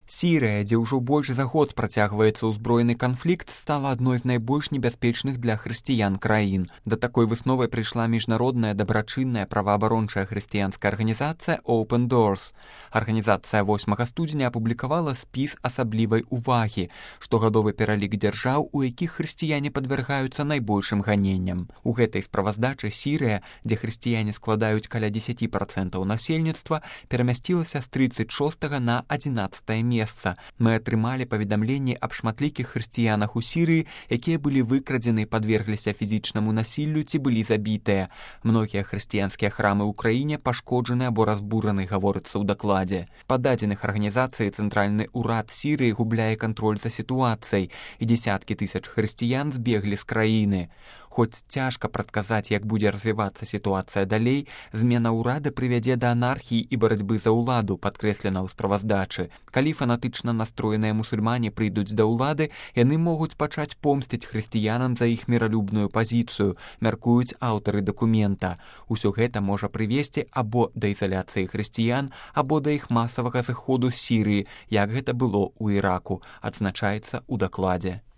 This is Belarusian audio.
Сірыя, дзе ўжо больш за год працягваецца ўзброены канфлікт, стала адной з найбольш небяспечных для хрысціян краін. Да такой высновы прыйшла міжнародная дабрачынная праваабарончая хрысціянская арганізацыя Open Doors. Арганізацыя 8 студзеня апублікавала спіс асаблівай увагі, штогадовы пералік дзяржаў, у якіх хрысціяне падвяргаюцца найбольшым ганенням. У гэтай справаздачы Сірыя, дзе хрысціяне складаюць каля 10% насельніцтва, перамясцілася з 36 на 11 месца. Мы атрымалі паведамленні аб шматлікіх хрысціянах у Сірыі, якія былі выкрадзены, падвергліся фізічнаму насіллю ці былі забітыя. Многія хрысціянскія храмы ў краіне пашкоджаны або разбураны, гаворыцца ў дакладзе. Па дадзеных арганізацыі цэнтральны ўрад Сірыі губляе кантроль за сітуацыяй, і дзесяткі тысяч хрысціян збеглі з краіны. Хоць цяжка прадказаць, як будзе развівацца сітуацыя далей, змена ўрада прывядзе да анархіі і барацьбы за ўладу, падкрэслена ў справаздачы. Калі фанатычна настроеныя мусульмане прыйдуць да ўлады, яны могуць пачаць помсціць хрысціянам за іх міралюбную пазіцыю, мяркуюць аўтары дакумента. Усё гэта можа прывесці або да ізаляцыі хрысціян, або да іх масавага зыходу з Сірыі, як гэта было ў Іраку, адзначаецца ў дакладзе.